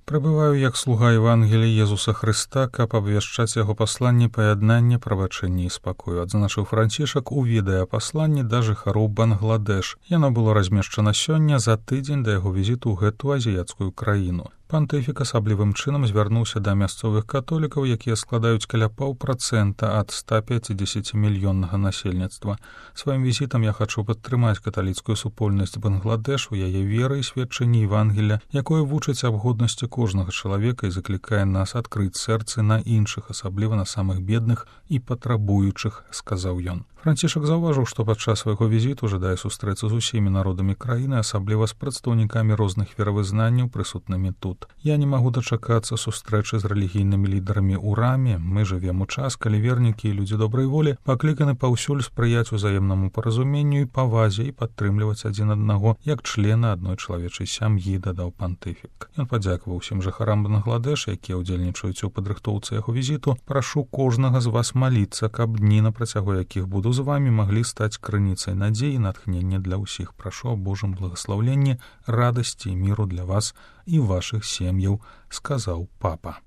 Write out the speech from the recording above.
Прыбываю як слуга Евангелія Езуса Хрыста, каб абвяшчаць яго пасланне паяднання, прабачэння і спакою, адзначыў Францішак у відэапасланні да жыхароў Бангладеш. Яно было размешчана сёння за тыдзень да яго візіту ў гэту азіяцкую краіну. Пантыфік асаблівым чынам звярнуўся да мясцовых католікаў, якія складаюць каля 0,5% ад 150-мільённага насельніцтва. Сваім візітам я хачу падтрымаць каталіцкую супольнасць Бангладеш у яе веры і сведчанні Евангелія, якое вучыць аб годнасці кожнага чалавека і заклікае нас адкрыць сэрцы на іншых, асабліва на самых бедных і патрабуючых, сказаў ён. Францішак заўважыў, што падчас свайго візіту жадае сустрэцца з усімі народамі краіны, асабліва з прадстаўнікамі розных веравызнанняў, прысутнымі тут. Я не магу дачакацца сустрэчы з рэлігійнымі лідарамі ў раме. Мы жывем у час, калі вернікі і людзі добрай волі пакліканы паўсюль спрыяць узаемнаму паразуменню і павазе і падтрымліваць адзін аднаго як члена адной чалавечай сям'і, дадаў пантыфік. Ён падзякаваў усім жыхарам Бангладеш, якія ўдзельнічаюць у падрыхтоўцы яго візіту. Прашу кожнага з вас маліцца, каб дні, на працягу якіх буду з вами, маглі стаць крыніцай надзеі і натхнення для ўсіх. Прашу аб Божым благаслаўленні, радасці і міру для вас і вашых сем'яў, сказаў папа.